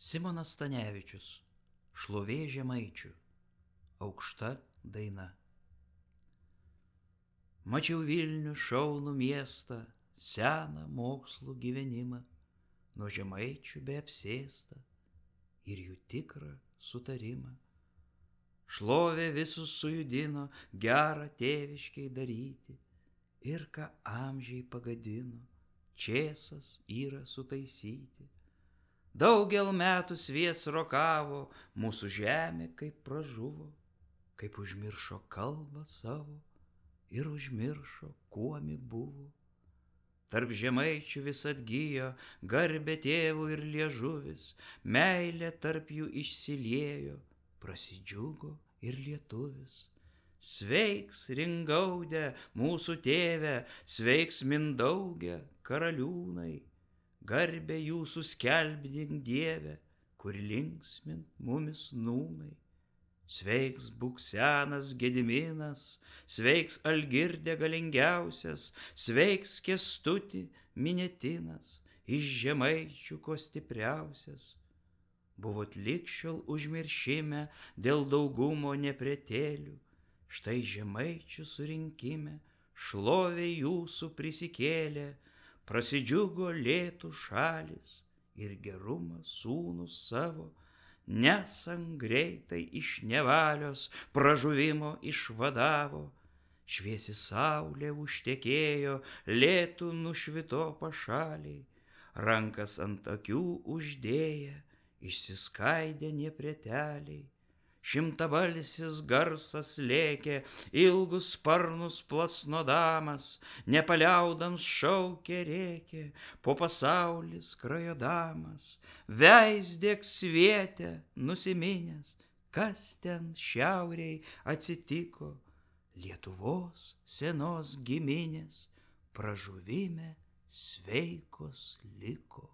Simonas Stanevičius, Šlovė žemaičių, aukšta daina. Mačiau Vilnių šaunų miestą, seną mokslų gyvenimą, nuo žemaičių beapsėstą ir jų tikrą sutarimą. Šlovė visus sujudino gerą tėviškiai daryti, ir ką amžiai pagadino, čėsas yra sutaisyti. Daugel metų sviets rokavo, mūsų žemė kaip pražuvo, kaip užmiršo kalbą savo ir užmiršo, kuomi buvo. Tarp žemaičių vis atgijo garbė tėvų ir liežuvis, meilė tarp jų išsiliejo, prasidžiugo ir lietuvis. Sveiks Ringaude, mūsų tėve, sveiks Mindauge, karaliūnai, garbę jūsų skelbdink Dieve, kur linksmint mumis nūnai. Sveiks būk senas Gediminas, sveiks Algirdė galingiausias, sveiks Kęstuti Minetinas, iš žemaičių ko stipriausias. Buvot ligšiol užmiršime dėl daugumo nepretėlių, štai žemaičių surinkime šlovė jūsų prisikėlė, prasidžiugo lėtų šalis ir gerumą sūnus savo, nesant greitai iš nevalios pražuvimo išvadavo. Šviesi saulė užtekėjo, lėtų nušvito pašaliai, rankas ant akių uždėję, išsiskaidė nepreteliai. Šimtabalsis garsas lėkė, ilgus sparnus plasnodamas, nepaliaudams šaukė rėkė, po pasaulį skrajodamas. Veisdėk svietę nusiminęs, kas ten šiaurėj atsitiko, Lietuvos senos giminės pražuvime sveikos liko.